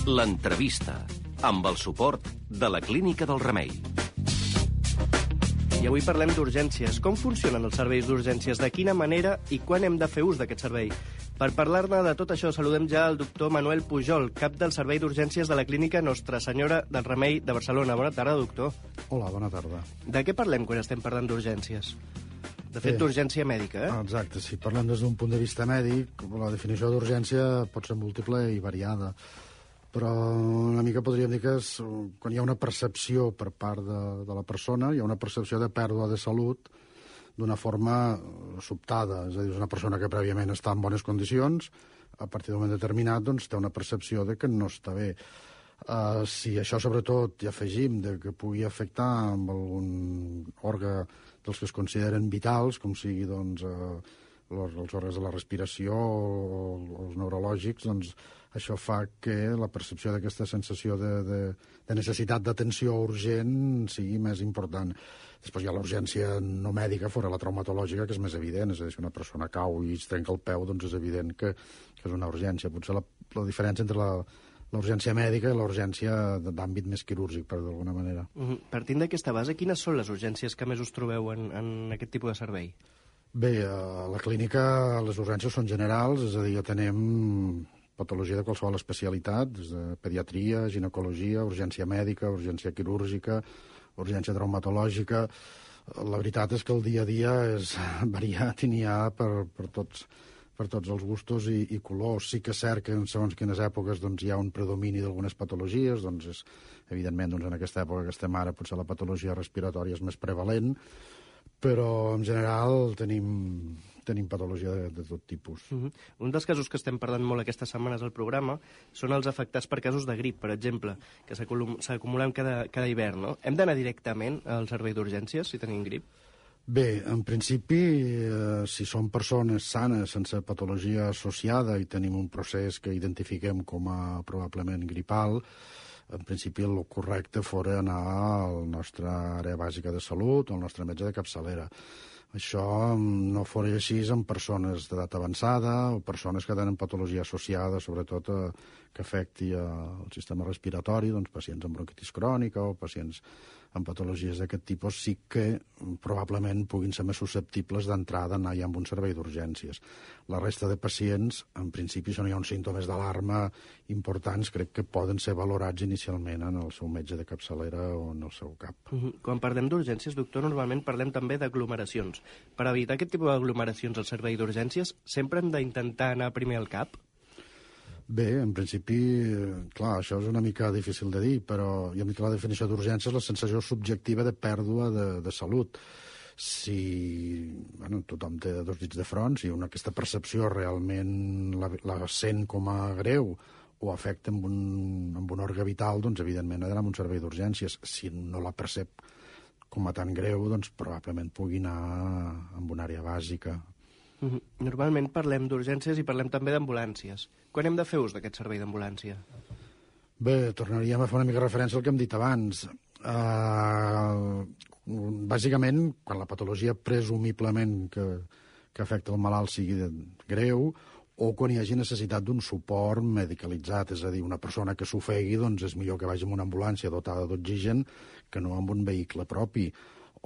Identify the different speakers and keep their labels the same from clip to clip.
Speaker 1: L'entrevista, amb el suport de la Clínica del Remei.
Speaker 2: I avui parlem d'urgències. Com funcionen els serveis d'urgències? De quina manera i quan hem de fer ús d'aquest servei? Per parlar-ne de tot això, saludem ja el doctor Manuel Pujol, cap del Servei d'Urgències de la Clínica Nostra Senyora del Remei de Barcelona. Bona tarda, doctor.
Speaker 3: Hola, bona tarda.
Speaker 2: De què parlem quan estem parlant d'urgències? De fet, d'urgència mèdica, eh?
Speaker 3: Exacte, si parlem des d'un punt de vista mèdic, la definició d'urgència pot ser múltiple i variada, però una mica podríem dir que és quan hi ha una percepció per part de la persona, hi ha una percepció de pèrdua de salut d'una forma sobtada, és a dir, és una persona que prèviament està en bones condicions, a partir d'un moment determinat doncs, té una percepció de que no està bé. Si això sobretot hi afegim de que pugui afectar amb algun òrgan dels que es consideren vitals, com sigui doncs, els òrgans de la respiració o els neurològics, doncs això fa que la percepció d'aquesta sensació de necessitat d'atenció urgent sigui més important. Després hi ha l'urgència no mèdica, fora la traumatològica, que és més evident, és a dir, si una persona cau i es trenca el peu, doncs és evident que és una urgència. Potser la diferència entre l'urgència mèdica i l'urgència d'àmbit més quirúrgic, per d'alguna manera.
Speaker 2: Partint d'aquesta base, quines són les urgències que més us trobeu en aquest tipus de servei?
Speaker 3: Bé, a la clínica les urgències són generals, és a dir, atenem patologia de qualsevol especialitat, des de pediatria, ginecologia, urgència mèdica, urgència quirúrgica, urgència traumatològica. La veritat és que el dia a dia és variat i n'hi ha per tots els gustos i colors. Sí que és cert que en segons quines èpoques doncs, hi ha un predomini d'algunes patologies, doncs és, evidentment doncs, en aquesta època que estem ara potser la patologia respiratòria és més prevalent, però en general tenim patologia de tot tipus.
Speaker 2: Un dels casos que estem parlant molt aquestes setmanes al programa són els afectats per casos de grip, per exemple, que s'acumulen cada hivern, no? Hem d'anar directament al servei d'urgències si tenim grip?
Speaker 3: Bé, en principi, si són persones sanes, sense patologia associada i tenim un procés que identifiquem com a probablement gripal, en principi el correcte fora anar a la nostra àrea bàsica de salut o al nostre metge de capçalera. Això no fora així en persones d'edat avançada o persones que tenen patologia associada, sobretot que afecti el sistema respiratori, doncs pacients amb bronquitis crònica o pacients amb patologies d'aquest tipus sí que probablement puguin ser més susceptibles d'entrada anar ja amb un servei d'urgències. La resta de pacients, en principi, si no hi ha uns símptomes d'alarma importants, crec que poden ser valorats inicialment en el seu metge de capçalera o en el seu CAP.
Speaker 2: Quan parlem d'urgències, doctor, normalment parlem també d'aglomeracions. Per evitar aquest tipus d'aglomeracions al servei d'urgències, sempre hem d'intentar anar primer al CAP?
Speaker 3: Bé, en principi, clar, això és una mica difícil de dir, però ja hem dit que la definició d'urgència és la sensació subjectiva de pèrdua de salut. Si tothom té dos dits de front, si aquesta percepció realment la sent com a greu o afecta amb un òrgan vital, doncs evidentment ha d'anar a un servei d'urgències. Si no la percep com a tan greu, doncs probablement pugui anar a una àrea bàsica.
Speaker 2: Normalment parlem d'urgències i parlem també d'ambulàncies. Quan hem de fer ús d'aquest servei d'ambulància?
Speaker 3: Bé, tornaríem a fer una mica referència al que hem dit abans. Bàsicament, quan la patologia presumiblement que afecta el malalt sigui greu o quan hi hagi necessitat d'un suport medicalitzat, és a dir, una persona que s'ofegui, doncs és millor que vagi amb una ambulància dotada d'oxigen que no amb un vehicle propi.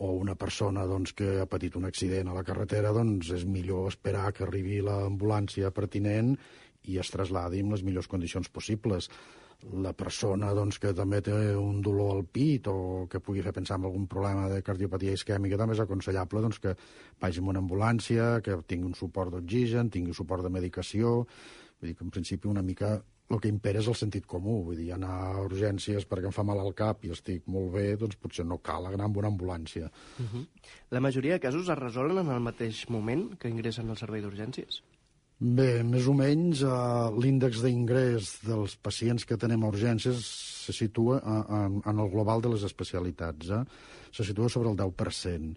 Speaker 3: O una persona doncs, que ha patit un accident a la carretera, doncs és millor esperar que arribi l'ambulància pertinent i es trasladi en les millors condicions possibles. La persona doncs, que també té un dolor al pit o que pugui fer pensar en algun problema de cardiopatia isquèmica també és aconsellable doncs, que vagi amb una ambulància, que tingui un suport d'oxigen, tingui un suport de medicació. Vull dir que en principi una mica el que impera és el sentit comú, vull dir, anar a urgències perquè em fa mal al cap i estic molt bé, doncs potser no cal anar amb una ambulància.
Speaker 2: La majoria de casos es resolen en el mateix moment que ingressen al servei d'urgències?
Speaker 3: Bé, més o menys l'índex d'ingrés dels pacients que tenem a urgències se situa en el global de les especialitats, se situa sobre el 10%.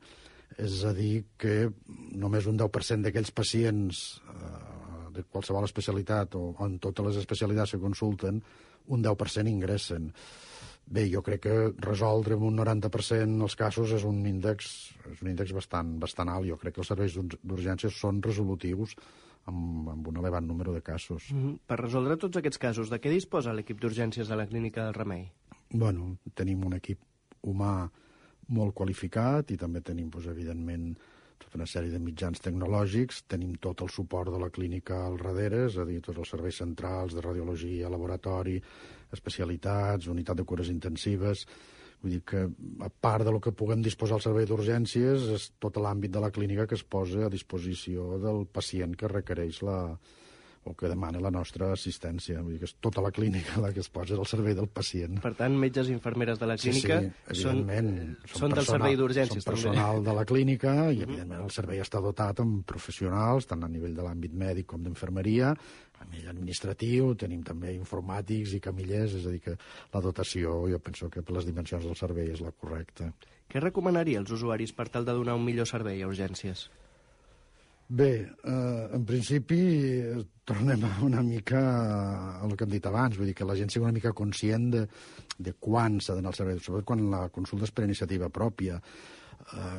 Speaker 3: És a dir, que només un 10% d'aquells pacients de qualsevol especialitat o en totes les especialitats que consulten, un 10% ingressen. Bé, jo crec que resoldre un 90% els casos és un índex bastant alt. Jo crec que els serveis d'urgències són resolutius amb un elevat número de casos.
Speaker 2: Per resoldre tots aquests casos, de què disposa l'equip d'urgències de la Clínica del Remei?
Speaker 3: Bueno, tenim un equip humà molt qualificat i també tenim, evidentment, tota una sèrie de mitjans tecnològics, tenim tot el suport de la clínica al darrere, és a dir, tots els serveis centrals de radiologia, laboratori, especialitats, unitat de cures intensives. Vull dir que, a part del que puguem disposar al servei d'urgències, és tot l'àmbit de la clínica que es posa a disposició del pacient que requereix o que demana la nostra assistència. Vull dir que és tota la clínica la que es posa al servei del pacient.
Speaker 2: Per tant, metges i infermeres de la clínica són del servei d'urgències,
Speaker 3: també. Són personal de la clínica i, evidentment, el servei està dotat amb professionals, tant a nivell de l'àmbit mèdic com d'infermeria, a nivell administratiu, tenim també informàtics i camillers, és a dir, que la dotació, jo penso que per les dimensions del servei és la correcta.
Speaker 2: Què recomanaria als usuaris per tal de donar un millor servei a urgències?
Speaker 3: Bé, en principi tornem una mica al que hem dit abans, vull dir que la gent sigui una mica conscient de quan s'ha d'anar al servei, sobretot quan la consulta és per iniciativa pròpia,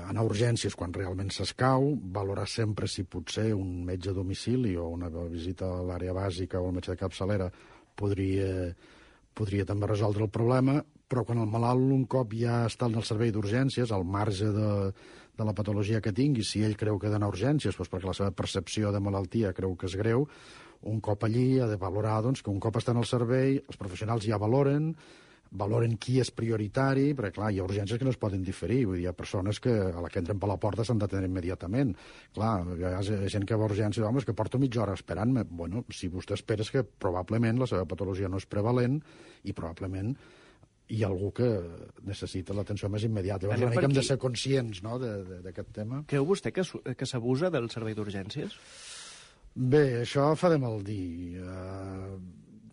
Speaker 3: anar a urgències quan realment s'escau, valorar sempre si potser un metge a domicili o una visita a l'àrea bàsica o el metge de capçalera podria també resoldre el problema, però quan el malalt un cop ja està en el servei d'urgències, al marge de la patologia que tingui, si ell creu que ha d'anar a urgències, doncs perquè la seva percepció de malaltia creu que és greu, un cop allí ha de valorar que un cop està en el servei, els professionals ja valoren qui és prioritari, perquè clar, hi ha urgències que no es poden diferir, vull dir, hi ha persones que a la que entren per la porta s'han d'atendre immediatament. Clar, hi ha gent que va a urgències, home, és que porto mitja hora esperant-me. Bueno, si vostè espera és que probablement la seva patologia no és prevalent i probablement hi ha algú que necessita l'atenció més immediata. Llavors, una mica hem de ser conscients, no?, d'aquest tema.
Speaker 2: Creu vostè que s'abusa del servei d'urgències?
Speaker 3: Bé, això fa de mal dir.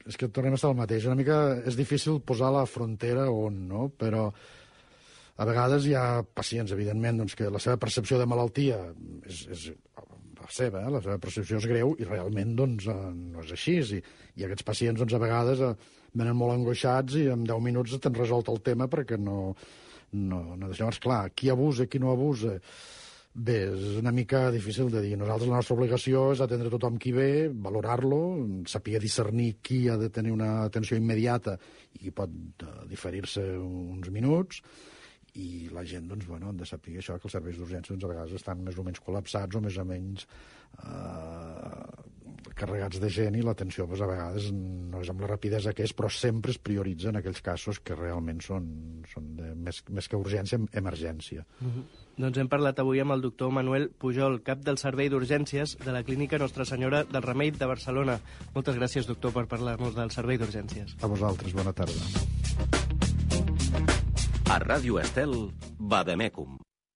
Speaker 3: És que tornem a estar al mateix. Una mica és difícil posar la frontera on, no? Però a vegades hi ha pacients, evidentment, que la seva percepció de malaltia és la seva, la seva percepció és greu i realment no és així. I aquests pacients, a vegades venen molt angoixats i en 10 minuts t'han resolt el tema perquè no. Llavors, clar, qui abusa, qui no abusa. Bé, és una mica difícil de dir. Nosaltres la nostra obligació és atendre tothom qui ve, valorar-lo, saber discernir qui ha de tenir una atenció immediata i qui pot diferir-se uns minuts, i la gent, ha de saber això, que els serveis d'urgències a vegades estan més o menys col·lapsats o més o menys carregats de gent, i l'atenció a vegades no és amb la rapidesa que és, però sempre es prioritzen aquells casos que realment són més que urgència, emergència.
Speaker 2: Doncs hem parlat avui amb el doctor Manuel Pujol, cap del Servei d'Urgències de la Clínica Nostra Senyora del Remei de Barcelona. Moltes gràcies, doctor, per parlar-nos del Servei d'Urgències.
Speaker 3: A vosaltres, bona tarda.
Speaker 1: A Ràdio Estel, Vademecum.